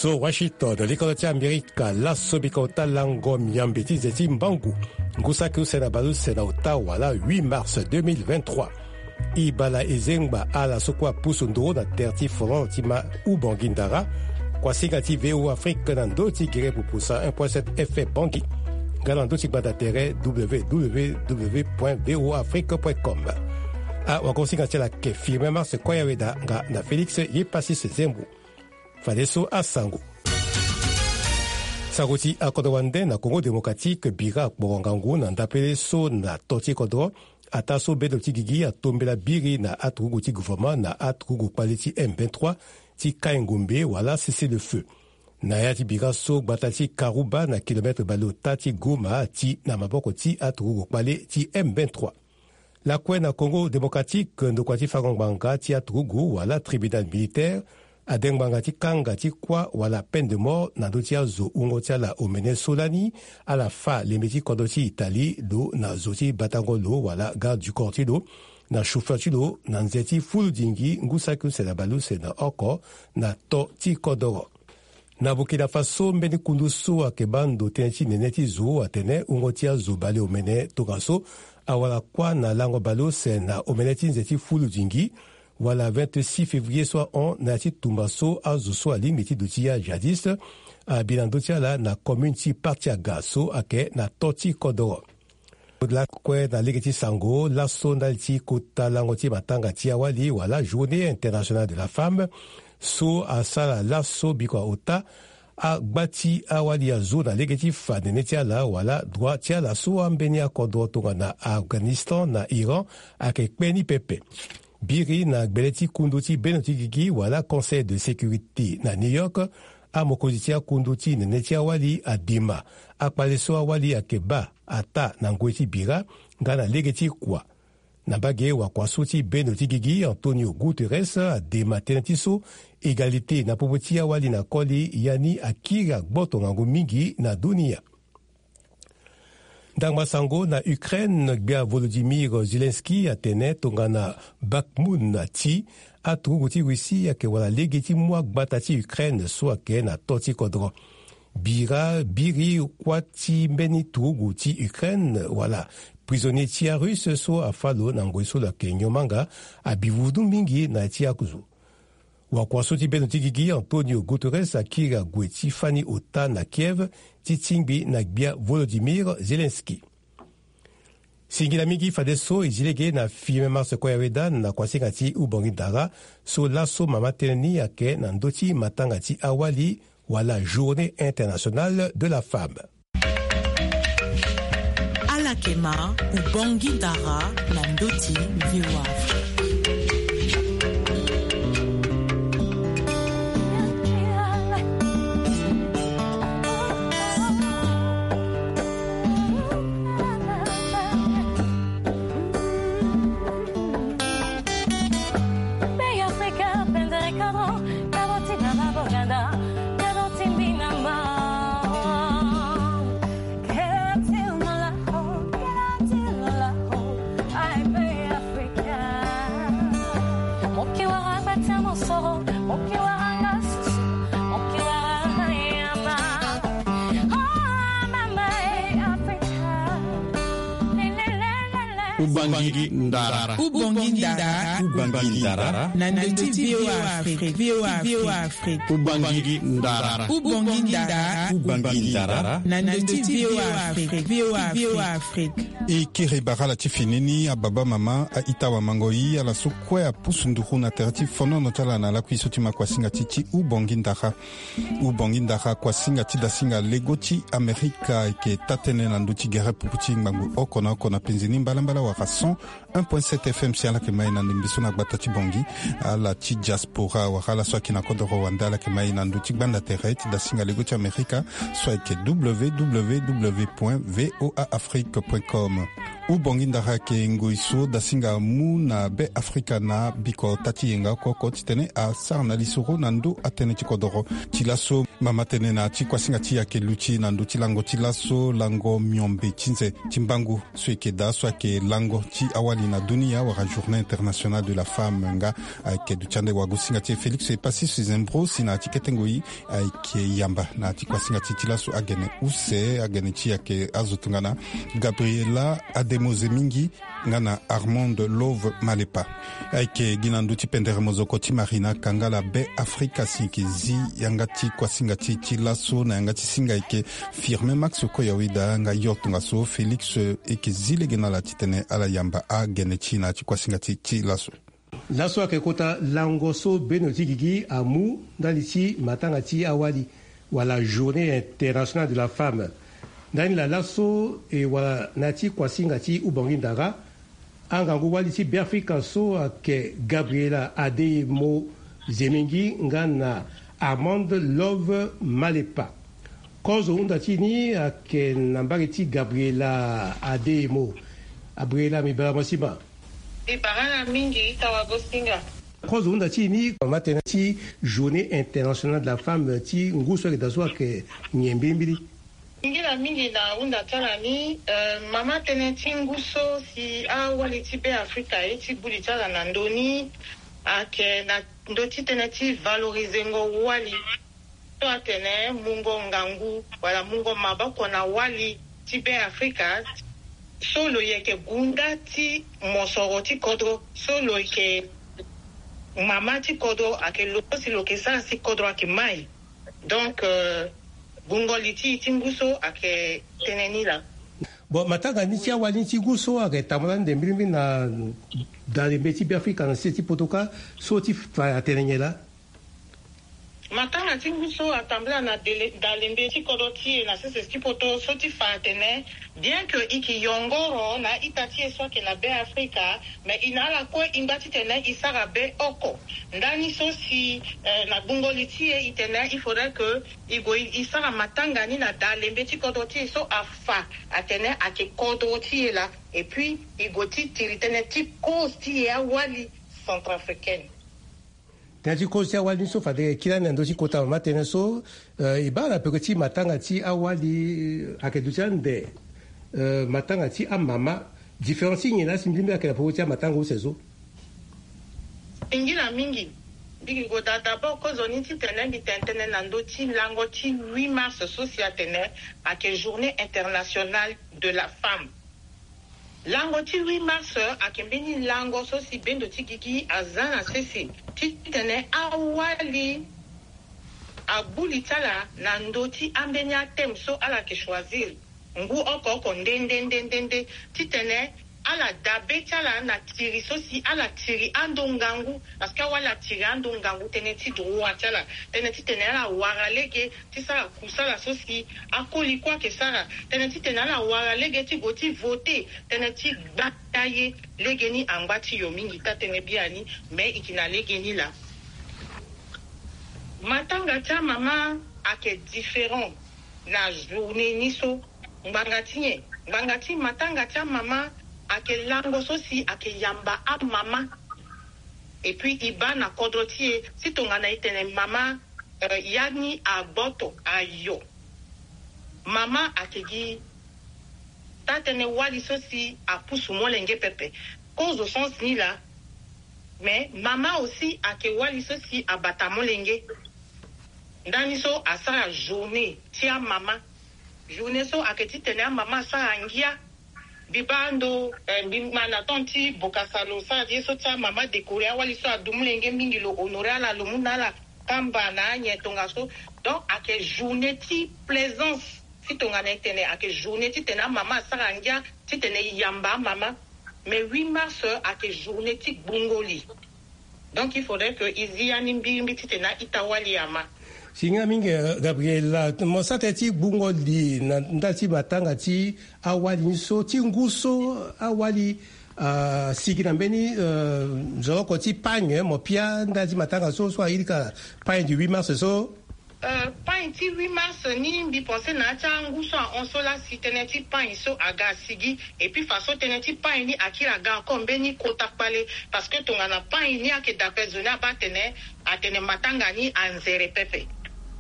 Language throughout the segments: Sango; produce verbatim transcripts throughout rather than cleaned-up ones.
So Washington, likolo ti Amerika, laso bika ota lango miambe ti ze ti mbangu, ngu saki use na baleuse na ota wala huit mars deux mille vingt-trois. E bala e zengba ala so kue apusu nduru na tere ti folon ti ma Ubongi Ndara. Kuasinga ti V O Afrique na ndö ti gere pupusa un point sept F M Bangui. Nga na ndö ti gbanda tere W W W point V O Afrique point com. Awagosinga ti ala ke Firmin Mars Koyaweda nga na Félix Yepasis Zembo. Fadeso asango. Sango ti akodro wande na Congo Démocratique, bira akporo ngangu na ndapele so na to ti kodro. Ataa so bendo ti gigi atombela biri na aturugu ti gouvernement na aturugu kpale ti M vingt-trois ti kai ngombe wala cessez-le-feu. Na ya ti bira so, gbata ti Karuba na kilomètre baleota ti Goma ati na maboko ti aturugu kpale ti M vingt-trois. Lakue na Congo Démocratique, ndokua ti fango ngbanga ti aturugu wala tribunal militaire ade ngbanga ti kanga ti kuâ wala peine de mort na ndö ti azo wungo ti ala omene so lani ala fâ lembe ti kodro ti Italie lo na zo ti batango lo wala garde du corps ti lo na chauffeur ti lo na nze ti fuludingi ngu saki use na baleuse na oko na to ti kodoro. Na Burkina Faso, mbeni kundu so ayeke baa ndo tënë ti nene ti zo atene wungo ti azo baleomene tongaso awara kuâ na lango baleuse na omene ti nze ti fuludingi wala vingt-six février so ahon na ya ti tumba so azo so alingbi ti duti ajihadiste abi na ndö ti ala na commune ti Partiaga so ayeke na to ti kodoro. Lakue na lege ti sango, laso ndali ti kota lango ti matanga ti awali wala Journée Internationale de la Femme so asara laso bikua ota, agba ti awali azo na lege ti fa nene ti ala wala droit ti ala so ambeni akodro tongana Afghanistan na Iran ayeke kpe ni pepe. Biri na gbele ti kundu ti bendo ti gigi wala Conseil de sécurité na New York, amokonzi ti akundu ti nene ti awali adema akpale so awali ayeke baa ataa na ngoi ti bira nga na lege ti kua. Na mbage wakua so ti bendo ti gigi, Antonio Guterres adema tënë ti so égalité na popo ti awali na koli, ya ni akiri agboto ngangu mingi na dunia. Ndangba sango na Ukraine, gbia Volodymyr Zelensky atene tongana Bakhmut ti aturugu ti Russie ayeke wala lege ti mu agbata ti Ukraine so ayeke na to ti kodro. Bira biri kuâ ti mbeni turugu ti Ukraine wala prisonnier ti arusse so afâ lo na ngoi so lo yeke nyomanga abi vundu mingi na ya ti azo. Wakua so ti bendo ti gigi, Antonio Guterres akiri ague ti fani ota na Kiev ti tingbi na gbia Volodymyr Zelensky. Singila mingi fadeso e zi lege na Firmin Mars Koyaweda na kuasinga ti Ubongi Ndara so laso mama tënë ni ayeke na ndö ti matanga ti awali wala Journée Internationale de la Femme. Ala yeke ma Ubongi Ndara na ndö ti V O A Afrique. Ubangi Ndara. Ubangi Ndara. Ubangi Ndara. Na ndö ti V O A Afrique. V O A Afrique. Ubangi Ndara. Ubangi Ndara. Ubangi Ndara. Na ndö ti V O A Afrique. V O A Afrique. E kiri bara ala ti fini ni, ababa mama, a-ita wamango-i, ala so kue apusu nduru na tere ti fonono ti ala na lakui so ti ma kuasinga ti ti Ubongi Ndara. Ubongi Ndara, kuasinga ti dasinga lego ti Amerika, ayeke taa-tënë na ndö ti gere pupu ti ngbangbo oko na oko na penzi ni mbalambala wara cent un point sept F M. Si ala yeke ma e na ndembe so na gbata ti Bangui, ala ti diaspora wala ala so ayeke na kodoro wande, ala yeke ma e na ndö ti gbanda tere ti dasinga lego ti Amerika so ayeke W W W point V O A Afrique point com. Ubongi ndara ayeke ngoi so dasinga amu na Be Afrika na biko taa ti yenga oko oko titene asara na lisoro na ndö atënë ti kodoro. Ti laso mama tënë na ti kuasinga ti e ayeke luti na ndö ti lango ti laso, lango miombe ti nze ti mbangu so e yeke daa so ayeke lango ti awali na dunia wala Journée Internationale de la Femme nga. Ayeke duti ande wagosinga ti e Félix Epassis Zembro si na ya ti kete ngoi ayeke yamba na ya ti kuasinga ti e ti laso agene use, agene ti e ayeke azo tongana Gabriela Ademo Zemingi nga na Armand Love Malepa. Ayeke gi na ndö ti pendere mozoko ti Marina Kangala Be Afrika si e yeke zi yanga ti kuasinga ti e ti laso na yanga ti singa ayeke Firmin Max Koyaweda nga yo tongaso Félix e yeke zi lege na ala titene ala yamba agene ti e na ya ti kuasinga ti e ti laso. Laso ayeke kota lango so bendo ti gigi amu ndali ti matanga ti awali wala Journée Internationale de la Femme. Ndani laa laso e wara na ya ti kuasinga ti ubongi ndara, angangu wali ti Beafrika so ayeke Gabriela Ademo Zemingi nga na Armand Love Malepa. Kozo hunda ti e ni ayeke na mbage ti Gabriela Ademo. Gabriela, mbi bara mo si ma. Mbi bara ala mingi, ita wagosinga. Kozo hunda ti e ni, mama tënë ti Journée Internationale de la Femme ti ngu so ayeke daa so ayeke nyen mbilimbili? Singila mingi na hunda ti ala ni. Eh, mama tënë ti ngu so si awali ti Beafrika aye ti gbu li ti ala na ndö ni ayeke na ndö ti tënë ti valorizengo wali so atene mungo ngangu wala mungo maboko na wali ti Beafrika so lo yeke gunda ti mosoro ti kodro, so lo yeke mama ti kodro, ayeke lo so si lo yeke sara si kodro ayeke mai. Donc, euh, gbungo li ti e ti ngu so ayeke tënë ni laa. Bon, matanga ni ti awali ni ti ngu so ayeke tambula ande mbilimbili na dalembe ti Beafrika na sese ti poto kâ, so ti fa atene nyen laa? Matanga ti ngu so atambula na dele-, dalembe ti kodro ti e na sese ti poto, so ti fa atene, bien que e yeke yongoro na a-ita ti e so ayeke na Beafrika, mais e na ala kue e ngba titene e sara be oko. Ndani so si, eh, na gbungo li ti e, e tene il faudrait que e gue e sara matanga ni na dalembe ti kodro ti e so afa atene ayeke kodro ti e laa. Et puis e gue ti tiri tënë ti cause ti e awali centrafricaine. Tënë ti kozo ti awali ni so fade e kiri ande na ndö ti kota mama tënë so, eh, e baa na peko ti matanga ti awali, eh, ayeke duti ande, eh, matanga ti amama. Différence ti nyen laa si mbilimbili ayeke na peko ti amatanga use so? Singila mingi. Mbi yeke gue daa d'abord kozoni titene mbi tene tënë na ndö ti lango ti huit mars so si atene ayeke Journée Internationale de la Femme. Lango ti huit mars ayeke mbeni lango so si bendo ti gigi aza na sese titene awali agbu li ti ala na ndö ti ambeni athème so ala yeke choisir ngu oko oko nde nde nde nde nde, titene ala daa be ti ala na tiri so si ala tiri ando ngangu, parce que awali atiri ando ngangu tënë ti droit ti ala, tënë titene ala wara lege ti sara kusala so si akoli kue ayeke sara, tënë titene ala wara lege ti gue ti voter, tënë ti gbata ye. Legeni angba ti yo mingi taa tënë biani, me e yeke na legeni laa. Matanga ti amama ayeke différent na journée ni so. Ngbanga ti nyen? Ngbanga ti matanga ti amama ayeke lango so si ayeke yamba amama. Et puis e baa na kodro ti e, si tongana e tene mama, eh, ya ni agboto ayo. Mama ayeke gi taa-tënë wali so si apusu molenge pepe. Kozo sens ni laa. Mais mama aussi ayeke wali so si abata molenge. Ndani so asara journée ti amama. Journée so ayeke titene amama asara ngia. Mbi baa ndo, eh, mbi ma na temps ti Bokassa lo sara ye so ti amama décorer awali so adu molenge mingi, lo honorer ala, lo mu na ala kamba na anyen tongaso. Donc ayeke journée ti plaisance. Si tongana e tene ayeke journée titene amama asara ngia, titene e yamba amama. Mais huit mars ayeke journée ti gbungo li. Donc il faudrait que e zi ya ni mbirimbiri titene a-ita wali ama. Singa mingi, eh, Gabriela, mo sara tënë ti gbungo li na ndali ti matanga ti awali ni so, ti ngu so awali, ah, asigi na mbeni, eh, nzoloko ti pagne, mo pia ndali ti matanga so, so a irika pagne du huit mars so. Euh, pain ti huit mars ni, mbi pense na ya ti angu so ahon so laa si tënë ti pain so aga asigi. Et puis façon tënë ti pain ni akiri aga encore mbeni kota kpale. Parce que tongana pain ni ayeke daa ape, zo ni abaa atene, atene matanga ni anzere pepe.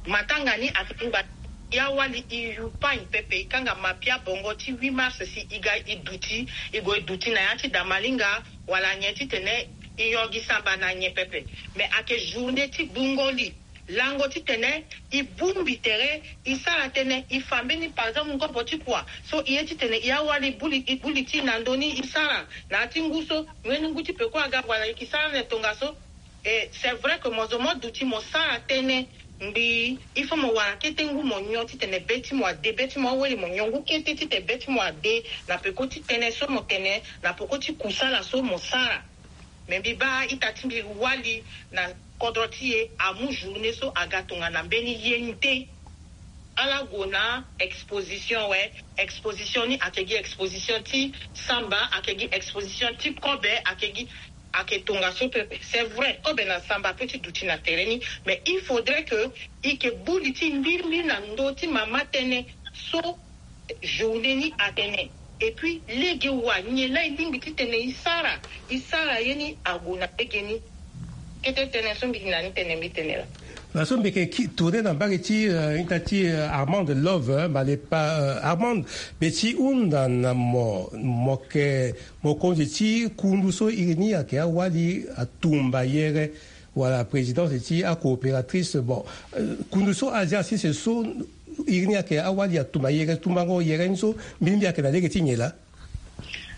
Matanga ni atene ngba, ya wali e yu pain pepe, e kanga mapia bongo ti huit mars si e ga e duti, e gue e duti na ya ti damalinga, wala nyen titene e yongi samba na nyen pepe. Mais ayeke journée ti gbungo li. Lango titene e bongbi tere, e sara tënë, e fa mbeni, par exemple, ngobo ti kua so e ye titene e awali e buli, e buli ti e na ndö ni, e sara na ya ti ngu so, mbeni ngu ti peko aga, wala e yeke sara na tongaso. Et c'est vrai que mo zo mo duti mo sara tënë, ngbii, il faut mo wara kete ngu mo nyon titene be ti mo ade, be ti mo aweli mo nyon ngu kete titene be ti mo ade, na peko ti tënë so mo tene, na peko ti kusala so mo sara. Me mbi baa ita ti mbi wali na kodro ti e amu journée so aga tongana mbeni ye ni te. Ala gue na exposition, we, exposition ni ayeke gi exposition ti samba, ayeke gi exposition ti kobe, ayeke gi, ayeke tongaso pepe. C'est vrai, kobe na samba ape ti duti na tere ni, mais il faudrait que e yeke buli ti e mbirimbiri na ndö ti mama tënë so journée ni atene. Et puis lege wa nyen laa e lingbi titene e sara, e sara ye ni ague na lege ni. Kete tënë so mbi na ni tene mbi tene laa. Na so mbi yeke tourner na mbage ti, euh, ita ti, euh, Armand Love, euh, Malepa, euh, Armand, mbi ti hunda na mo, mo yeke mokonzi ti kundu so iri ni ayeke awali atumba yere, wala présidence ti acoopératrice. Bon, euh, kundu so azi asese so iri ni ayeke awali atumba yere, tumbango yere ni so mbirimbiri ayeke na lege ti nyen laa?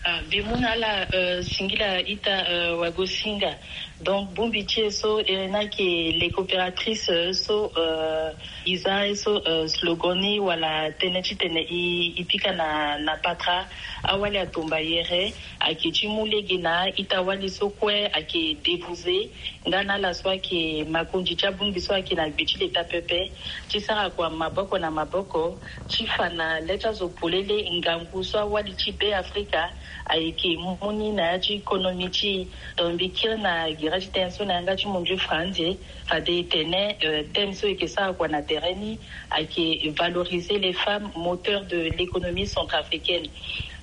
Ah, mbi mu na ala, euh, singila ita, euh, wagosinga. Donc bongbi ti e so, euh, ni ayeke les coopératrices, euh, so, euh, e za ye so, euh, slogan ni wala tënë titene e, e pika na, na patara. Awali atumba yere ayeke ti mu lege na ita wali so kue ayeke débouze. Nga na ala so ayeke makonzi ti abongbi so ayeke na gbe ti leta pepe, ti sara kua maboko na maboko ti fa na le ti azo polele ngangu so awali ti Be Afrika ayeke mu ni na ya ti konomi ti e. Donc mbi kiri na gere ti tënë so na yanga ti mondio franze, fade e tene, euh, thème so e yeke sara kua na tere ni ayeke valoriser les femmes moteurs de l'économie centrafricaine.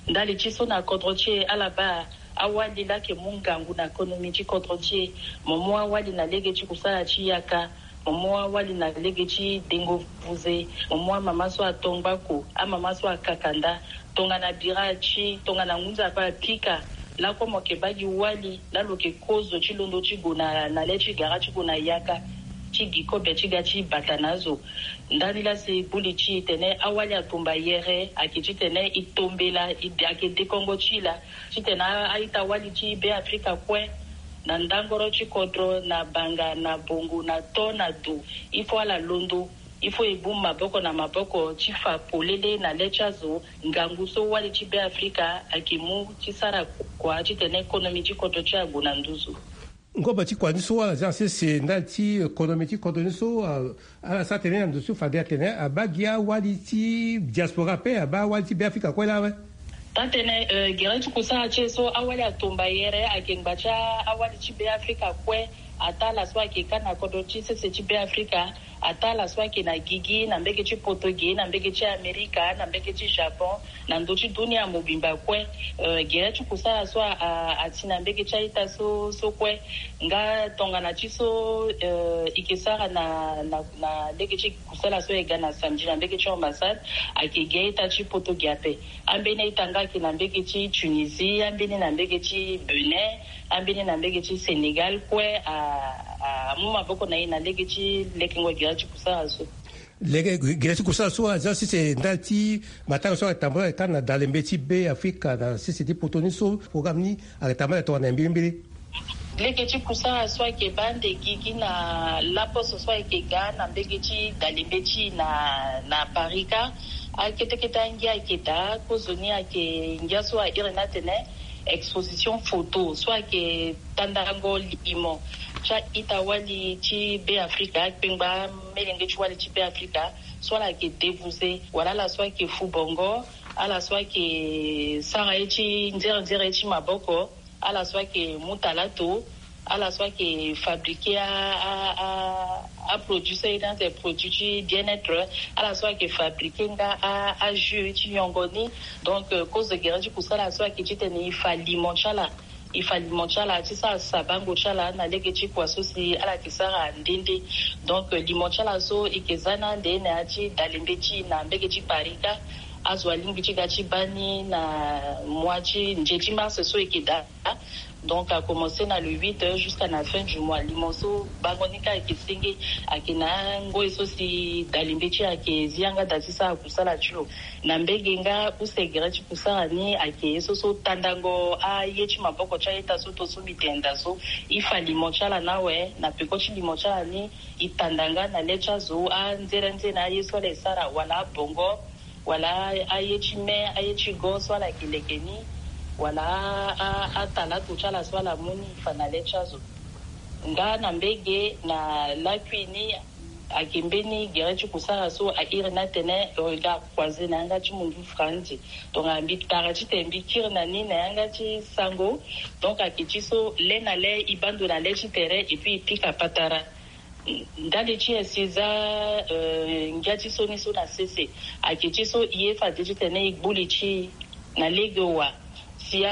Ndali ti so na kodro ti e ala baa awali laa ayeke mu ngangu na konomi ti kodro ti e. Mo mu awali na lege ti kusala ti yaka, mo mu awali na lege ti dengo vuze, mo mu amama so ato ngbako, amama so akaka nda. Tongana bira ti, tongana ngu nzapa apika, lakue mo yeke baa gi wali laa lo yeke kozo ti londo ti gue na, na le ti gara ti gue na yaka ti gi kobe ti ga ti bata na azo. Ndani laa si buli ti e tene awali atumba yere ayeke titene e tombela, e de, ayeke dekongo ti e laa titene a, a-ita wali ti Be Afrika kue, na ndangoro ti kodro, na banga, na bongo, na to, na do, il faut ala londo, il faut e bongbi maboko na maboko ti fa polele na le ti azo ngangu so wali ti Be Afrika ayeke mu ti sara kua titene konomi ti kodro ti e ague na nduzu. Ngobo ti kua ni so ala za sese ndali ti konomi ti kodro ni so, ah, ala sara tene na ndo so fade atene abaa gi awali ti diaspora ape, abaa awali ti Be Afrika kue laa awe. Taa tene, euh, gere ti kusala ti e so awali atomba yere ayeke ngba ti a-, awali ti Be Afrika kue. Ataa ala so ayeke ka na kodro ti sese ti Be Afrika, ataa ala so ayeke na gigi, na mbege ti poto ge, na mbege ti Amerika, na mbege ti Japon, na ndö ti dunia mobimba kue. Euh, gere ti kusala so a, a, ati na mbege ti a-ita so, so kue. Nga tongana ti so, euh, e yeke sara na, na, na lege ti kusala so e ga na samedi na mbege ti ambassade, ayeke gi a-ita ti poto ge ape. Ambeni a-ita nga ayeke na mbege ti Tunisie, ambeni na mbege ti Benin, ambeni na mbege ti Sénégal kue, a, a, amu maboko na e na lege ti lekengo gere ti kusala so. Lege gere ti kusala so aza sese ndali ti matanga so ayeke tambula ayeke ka na dalembe ti Be Afrika na sese ti poto ni so, programme ni ayeke tambula tongana na mbirimbiri. Lege ti kusala so ayeke baa ande gigi na laposo so ayeke ga na mbege ti dalembe ti na, na Paris ka. Akete kete angia ayeke daa, kozoni ayeke ngia so a iri ni atene exposition photo so ayeke tandango limo ti a-ita wali ti Be Afrika, akpengba melenge ti wali ti Be Afrika, so ala yeke debuze, wala ala so ayeke fu bongo, ala so ayeke sara ye ti nzere nzere ye ti maboko, ala so ayeke mu talato, ala so ayeke fabriquer a, a, a, Aproduit so ayeke na tere produit ti bien-être, ala so ayeke fabriquer nga ajus ti nyongo ni. Donc kozo gere ti kusala so ayeke titene e fa limo ti ala, e fa limo ti ala ti sara sabango ti ala na lege ti kua so si ala yeke sara nde nde. Donc limo ti ala so e yeke za na ande na ya ti dalembe ti e na mbege ti paris kâ. Azo alingbi ti ga ti baa ni na mois ti nze ti mars so e yeke daa. Donc a commencer na le huit jusqu'à na fin du mois. Limo so bango ni kâ ayeke senge, ayeke na angoi so si dalembe ti e ayeke zi yanga daa ti sara kusala ti lo. Na mbege nga use gere ti kusala ni ayeke ye so so tandango aye ti maboko ti a-ita so to so mbi tene daa so. E fa limo ti ala na awe na peko ti limo ti ala ni. E tanda nga na le ti azo anzere nzere na aye so ala e sara wala abongo, wala aye ti me, aye ti go so ala yeke leke ni, wala atalato ti ala so ala mu ni e fa na le ti azo. Nga na mbege na lakui ni ayeke mbeni gere ti kusala so a iri ni atene regard croisé na yanga ti mundu franzi. Donc mbi tara titene mbi kiri na ni na yanga ti sango. Donc ayeke ti so le na le e baa ndo na le ti tere et puis e pika patara. Ndali ti e si e za ngia ti so ni so na sese. Ayeke ti so e ye fade titene e gbu li ti e na lege wa si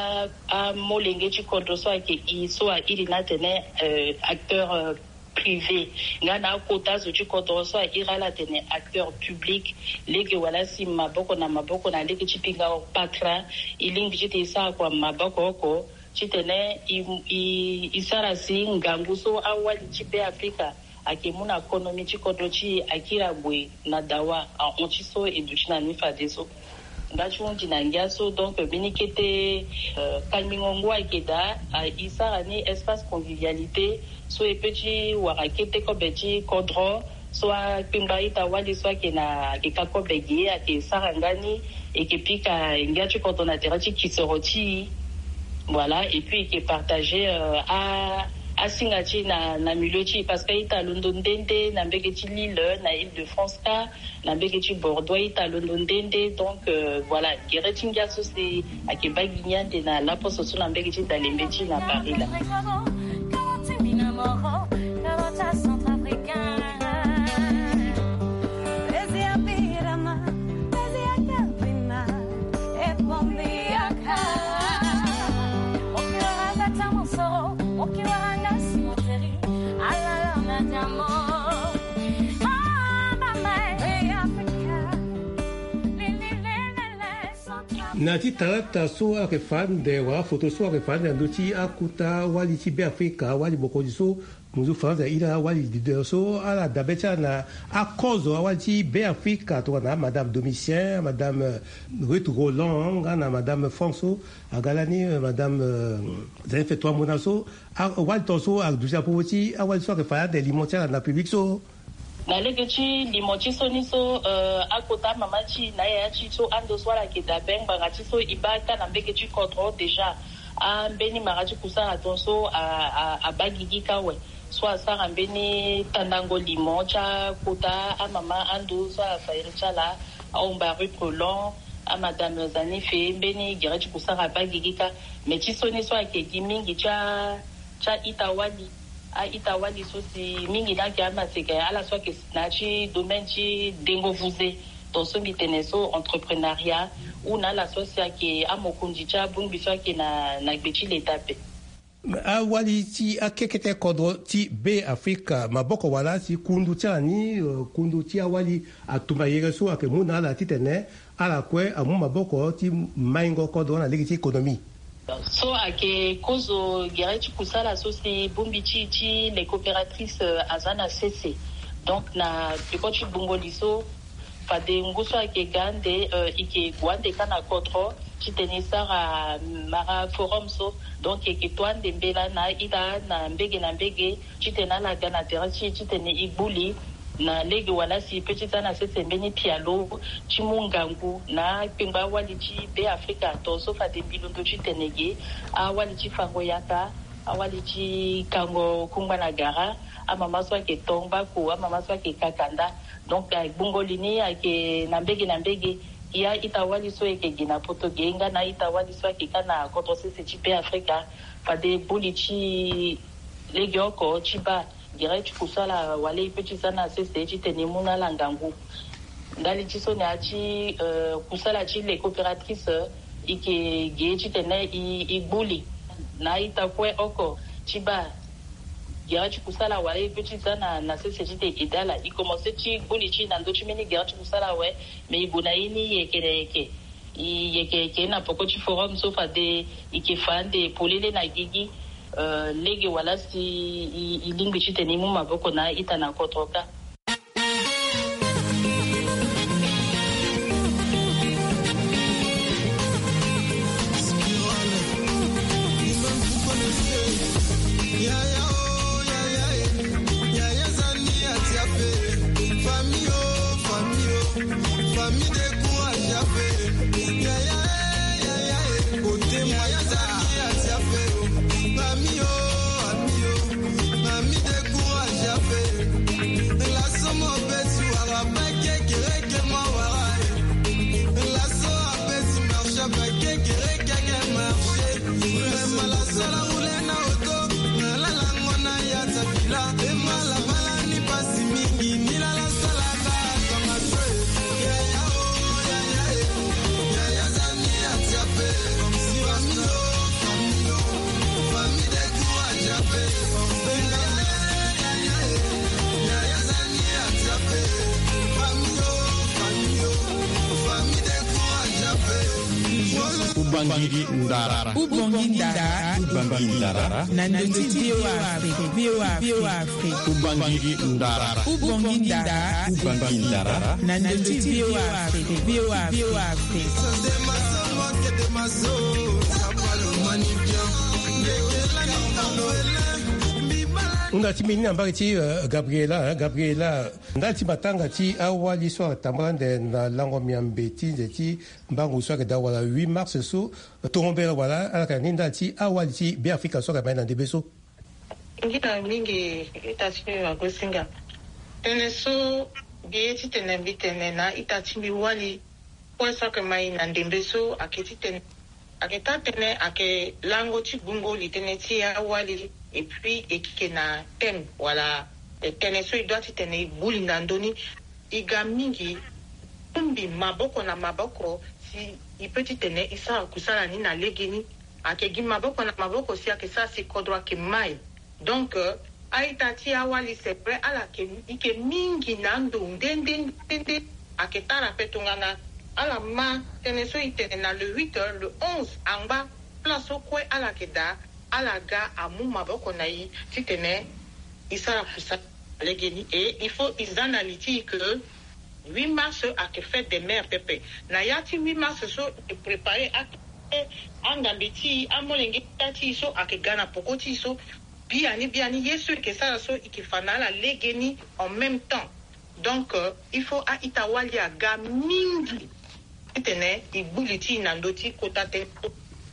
amolenge ti kodro so ayeke e so a iri ni atene acteur privé nga na akota zo ti kodro so a iri ala atene acteur public. Lege wala si maboko na maboko na lege ti pinga patra e lingbi titene e sara kua maboko oko titene e sara si ngangu so awali ti be afrika ayeke mu na konomi ti kodro ti e akiri ague na dawa ahon ti so e duti na ni fadeso. Nga ti hundi na ngia so donc mbeni kete kangbingo ngu ayeke daa e sara ni espace convivialité so e pe ti wara kete kobe ti kodro so akpengba ita wali so ayeke na ayeke ka kobe ge ayeke sara nga ni. E yeke pika ngia ti kodro na tere ti kisoro ti e. Voilà et puis e yeke partager asinga ti e na milieu ti e parce que aita londo nde nde na mbege ti lille na ile de france kâ. Na mbege ti bordeaux aita londo nde nde donc voilà gere ti ngia so si ayeke baa gi ni ande na laposo so na mbege ti dalembe ti e na paris laa. Na ti talata so ayeke fa ande wala foto so ayeke fa ande na ndö ti akota wali ti be afrika wali mokonzi so munzu faransa iri awali didero so ala dabe ti ala na akozo awali ti be afrika tongana madame domitien madame ruth roland nga na madame france so aga lani madame zanife toi mona so. Awali ton so aduti na popo ti awali so ayeke fa ande limo ti ala na public so. Na lege ti limo ti so ni so akota amama ti e na ayaya ti e so ando so ala yeke dabe ngbanga ti so e baa kâ na mbege ti kodro déjà. Ambeni mara ti kusara ton so abaa gigi kâ awe so asara mbeni tandango limo ti akota amama ando so ala fa iri ti ala. Ahomba ruth roland amadame zanife mbeni gere ti kusara abaa gigi kâ. Mais ti so ni so ayeke gi mingi ti a ti a-ita wali. A-ita wali so si mingi ni ayeke amaseka ala so ayeke na ya ti domaine ti dengo vuze. Ton so mbi tene so entreprenariat ou na ala so si ayeke amokonzi ti abongbi so ayeke na na gbe ti leta ape. Awali ti akekete kodro ti be afrika maboko wala si kundu ti ala ni kundu ti awali atumba yere so ayeke mu na ala titene ala kue amu maboko ti maingo kodro na lege ti économie. So ayeke kozo gere ti kusala so si bongbi ti e ti les coopératrices aza na sese. Donc na peko ti gbungo li so fade ngu so ayeke ga ande e yeke gue ande kâ na kodro titene e sara mara forum so. Donc e yeke to ande mbela na aita na mbege na mbege titene ala ga na tere ti e titene e gbu li na lege wala si e pe ti za na sese mbeni pialo ti mu ngangu na akpengba awali ti be afrika. Ton so fade mbi londo titene ge awali ti fango yaka awali ti kango kungba na gara amama so ayeke to ngbako amama so ayeke kaka nda. Donc gbungo li ni ayeke na mbege na mbege. E a-ita wali so e yeke gi na poto ge nga na a-ita wali so ayeke kâ na kodro sese ti be afrika fade buli ti legeoko ti baa Gere ti kusala wala e pe ti za na sese titene e mu na ala ngangu. Ndali ti so na ya ti, euh, kusala ti les coopératrices, e yeke ge titene e, e gbu li na a-ita kue oko ti baa gere ti kusala wala e pe ti za na, na sese titene e aide ala. E komanse ti gbu li ti e na ndö ti mbeni gere ti kusala awe, me e gue na ye ni yeke na yeke. E yeke, yeke na peko ti forum so fade e yeke fa ande polele na gigi, euh, lege wala si e, e lingbi titene e mu maboko na a-ita na kodro kâ. Ubangiri ndara. Ubangiri ndara. Ubangiri ndara. Na ndö ti V O A Afrique. V O A Afrique. Ubangiri ndara. Ubangiri ndara. Ubangiri ndara. Na ndö ti V O A Afrique. V O A Afrique. Hunda ti mbeni na mbage ti, euh, Gabriela, hein, Gabriela. Ndali ti matanga ti awali so atambula ande na lango miambe ti nze ti mbangu so ayeke daa wala huit mars so, tongo mbela wala ala yeke na ni ndali ti awali ti Beafrika so ayeke mai na ndembe so. Ngira mingi ita ti mbi wagosinga. Tënë so mbi ye titene mbi tene na ita ti mbi wali kue so ayeke mai na ndembe so ayeke titene ayeke taa tënë ayeke lango ti gbungo li tënë ti awali, et puis e yeke na thème wala tënë so e doit titene e gbu li na ndö ni. E ga mingi, bongbi maboko na maboko si e peut titene e sara kusala ni na legeni. Ayeke gi maboko na maboko si ayeke sara si kodro ayeke mai. Donc, euh, a-ita ti awali, c'est vrai, ala yeke, e yeke mingi na ando nde nde nde nde. Ayeke tara ape tongana ala ma tënë so e tene na le huit, euh, le onze angba, place so kue ala yeke daa, ala ga amu maboko na e titene e sara kusala legeni. Et il faut e za na li ti e que huit mars ayeke fête des mères pepe. Na ya ti huit mars so e prépare a, angambe ti e, amolenge ti e so ayeke ga na peko ti e so, biani biani ye so e yeke sara so e yeke fa na ala legeni en même temps. Donc, euh, il faut a-ita wali aga mingi titene e gbu li ti e na ndö ti kota tënë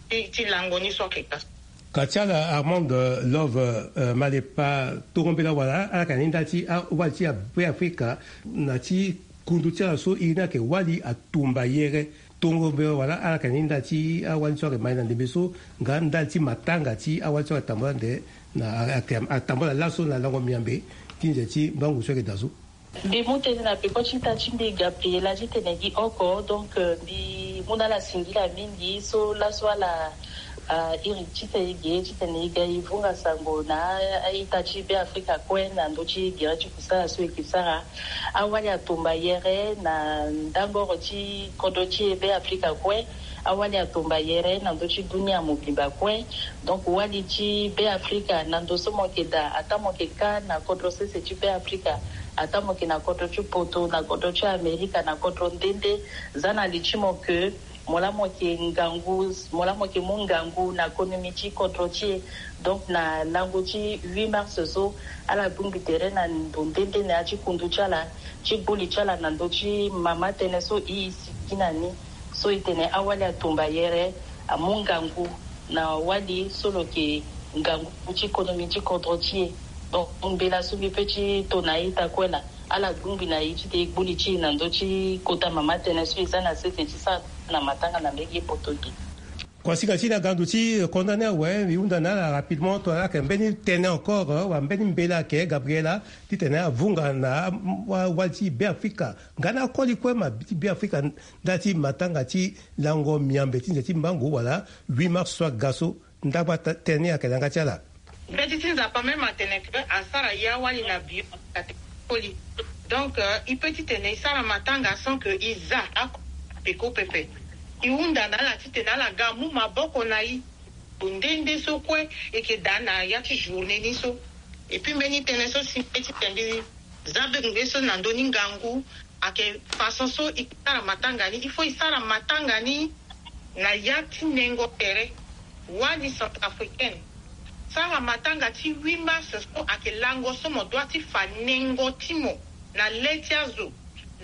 ti, ti lango ni so ayeke ga so. Ka ti ala Armand, euh, Love, euh, Malepa, tongo mbela wala ala yeke na ni ndali ti awali ti Beafrika na ti kundu ti ala so iri ni ayeke wali atumba yere. Tongo mbela wala ala yeke na ni ndali ti awali so ayeke mai na ndembe so, nga ndali ti matanga ti awali so ayeke tambula ande na, ayeke tambula laso na lango miambe ti nze ti mbangu so ayeke daa so. Mbi mu tënë na peko ti ita ti mbi Gabriela titene gi oko. Donc, euh, mbi mu na ala singila mingi so laso ala, ah, iri titene e ge titene e ga e vunga sango na a-ita ti Beafrika kue na ndö ti gere ti kusala so e yeke sara. Awali atumba yere na ndangoro ti kodro ti e Beafrika kue. Awali atumba yere na ndö ti dunia mobimba kue. Donc, wali ti Beafrika na ndo so mo yeke daa, ataa mo yeke kâ na kodro sese ti Beafrika, ataa mo yeke na kodro ti poto, na kodro ti Amerika, na kodro nde nde, za na li ti mo ke mo laa mo yeke ngangu, mo laa mo yeke mu ngangu na konomi ti kodro ti e. Donc, na lango ti huit mars so, ala bongbi tere na ndo nde nde na ya ti kundu ti ala, ti gbu li ti ala na ndö ti mama tënë so e, e sigi na ni. So e tene awali atumba yere, amu ngangu na wali so lo yeke ngangu ti konomi ti kodro ti e. Donc, mbela so mbi pe ti to na a-ita kue laa, ala gbu ngbi na e ti tene e gbu li ti e na ndö ti kota mama tënë so e za na sese ti sara na matanga na mbege poto ge. Kuasinga ti na gandu ti condamné awe, e hunda na ala rapidement to ala yeke mbeni tënë encore, eh, wala mbeni mbela ayeke Gabriela titene avunga na, mm, wa, wali ti Beafrika nga na akoli kue ma ti Beafrika, ndali ti matanga ti lango miambe ti nze ti mbangu wala huit mars so aga so. Ndagba tënë ni ayeke na yanga ti ala. Mbeti ti Nzapa même atene ke asara ya wali na bio, atene koli. Donc, euh, e peut titene e sara matanga sans que e za ako peko pepe. E hunda na ala titene ala ga amu maboko na e. Nde nde so kue e yeke daa na ya ti journée ni so. Et puis mbeni tënë so si mbeti tene mbi za be nge so na ndö ni ngangu, ayeke façon so e sara matanga ni. Il faut e sara matanga ni na ya ti nengo tere. Wali centrafricaine, sara matanga ti huit mars so ayeke lango so mo dua ti fa nengo ti mo na le ti azo.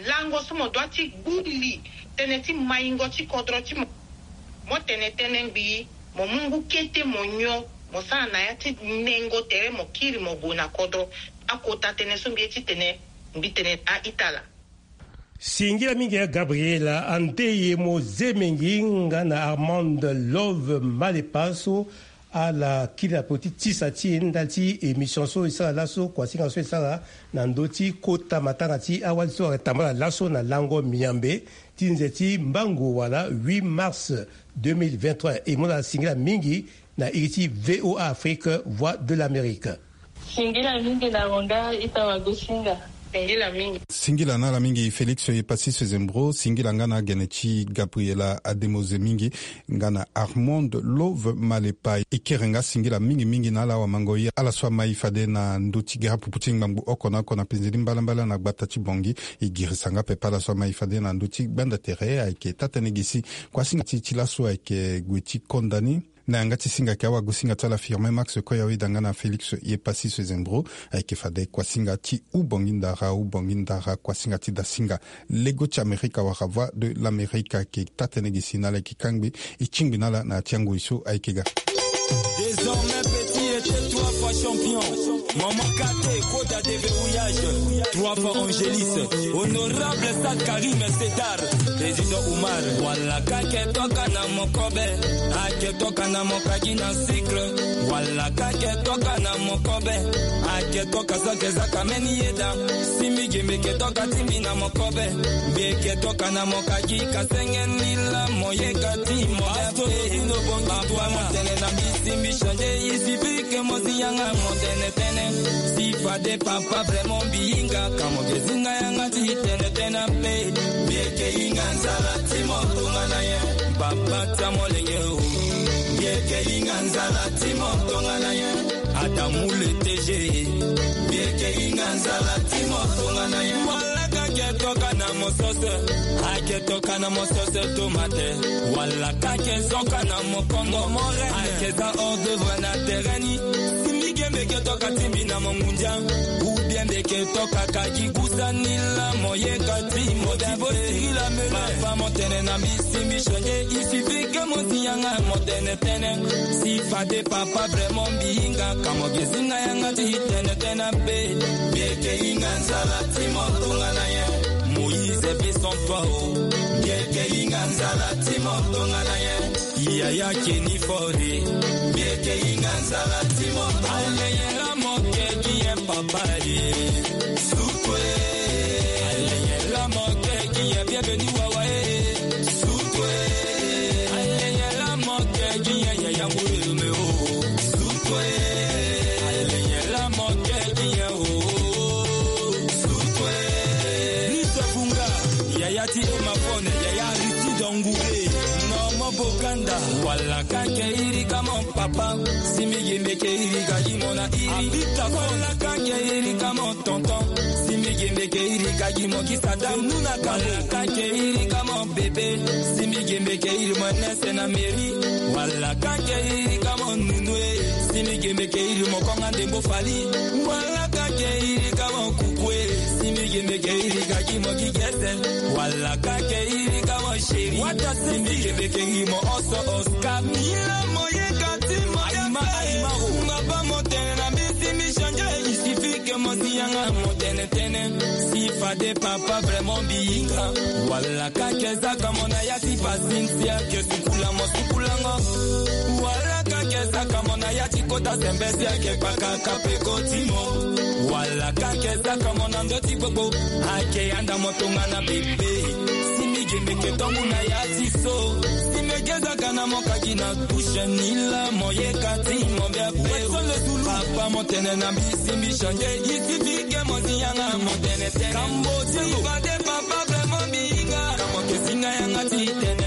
Lango so mo dua ti gbu li tënë ti maingo ti kodro ti mo. Mo tene tënë ngbii, mo mu ngu kete mo nyon, mo sara na ya ti nengo tere, mo kiri mo gue na kodro. Akota tënë so mbi ye titene mbi tene na a-ita laa. Singila mingi ya Gabriela Andeye Mozemengi nga na Armand Love Malepa so ala kiri na peko ti tisa ti e ndali ti émission so e sara laso, kuasinga so e sara na ndö ti kota matanga ti awali so ayeke tambala laso na lango miambe ti nze ti mbangu wala huit mars deux mille vingt-trois. E mu na ala singila mingi na iri ti V O A Afrique, Voix de l'Amérique. Singila mingi na mo nga ita wagosinga. Singila mingi. Singila na ala mingi Félix Epassis Zembro, singila nga na agene ti Gabriela Ademoze mingi nga na Armand Love Malepa. E kere nga singila mingi mingi na ala wamango ye ala so amai fade na ndö ti gara pupu ti ngbangbo oko na oko na penze ti mbalambala na gbata ti Bangui. E girisa nga pepe ala so amai fade na ndö ti gbanda tere. Ayeke taa-tënë gi si kuasinga ti, ti laso ayeke gue ti konda ni. Na yanga ti singa ayeke awagosinga ti ala Firmin Max Koyaweda nga na Félix Epassis Zembro. Ayeke fade kuasinga ti Ubongi Ndara, Ubongi Ndara, kuasinga ti dasinga. Lego ti Amerika wala Voix de l'Amérique ayeke taa-tënë gi si na ala yeke kangbi. E tingbi na ala na ya ti angoi so ayeke ga. Désormais petit et tais-toi fois champion. Maman Kate, quota déverrouillage. Trois fois Angéliste. Honorable Saad Karim Setar. Président Oumar. Wala ka ke toka na mokobe. Ake toka na mokagi na cycle. Wala ka ke toka na mokobe. Ake toka zake zaka meni yeda. Simbi gembe ke toka timbi na mokobe. Mbi ke toka na mokagi ka senge nila moyeka ti moya. Papa motene na mbi simbi change. Isi bike mosi yanga motene tene. Si fade papa vraiment mbi hinga. Ka mo ke zinga yanga ti tene tene mpe. Mbi ke hinga nzala ti mo tongana ye. Papa tia molenge o. Mbi ke hinga nzala ti mo tongana ye. Adamu le T G. Mbi ke hinga nzala ti mo tongana ye. Wala ka ke toka na mosose. Ake toka na mosose tomate. Wala ka ke zoka na mokongo. Ake za hors d'œuvre na terrain ni. Simbi gembe ke toka timbi na mongundia. Ou bien mbi ke toka kagi gusa nila moyeka ti moda. Papa motene na mbi simbi change. Il suffit que mosi yanga motene tene. Si fade papa vraiment mbi hinga. Ka mo ke zinga yanga ti tene tene mpe. Mbi ke hinga nzala ti mo tongana ye. Moïse pe sans toi o. Mbi ke hinga nzala ti mo tongana ye. Yaya Kenny Fore. Mbi ke hinga nzala ti mo tongana ye. Aleyela mo ke ki ye papa ye. Sukwe. Aleyela mo ke ki ye bienvenu wawa ye. Sukwe. Aleyela mo ke ki ye yaya ngure me o. Sukwe. Aleyela mo ke ki ye o. Sukwe. Lise Funga. Yaya ti Emafone. Yaya Aristide Ngoue. Norman Boganda. Wala ka ke iri ka mo papa. Simbi gembe ke iri ka gi mo na iri. Abita Wala ka ke iri ka mo tonton. Simbi gembe ke iri ka gi mo kisa da nuna ka. Wala ka ke iri ka mo bebe. Simbi gembe ke iri mo nese na meri. Wala ka ke iri ka mo nunue. Simbi gembe ke iri mo konga ndembo fali. Wala ka ke iri ka mo kukue. Simbi gembe ke iri ka gi mo kigese. Wala ka ke iri ka mo sheri. Wata simbi gembe ke iri mo oso Oscar. Mila mo ye kati mo ya. Aima, aima, o. Nga ba mo tene na mbi simbi change. Il suffit que mo si yanga mo tene. Tene si fade papa vraiment mbi hinga. Wala ka ke zaka mo na ya ti pasinsi ake sukula mo sukulango. Wala ka ke zaka mo na ya ti kota sembe si ake pakaka pe koti mo. Wala ka ke zaka mo na ndo ti gbogbo ake yanda mo tongana bebe. Si mbi ge mbi ke tongu na ya ti so. Si mbi ge zaka na mo kaki na tushe ni la mo ye kati mo mbi ape. Papa mo tene na mbi si mbi change. Isi mbi ke mo zi yanga mo tene tene. Kambo ti fade papa vraiment mbi hinga. Kamo ke singa yanga ti tene.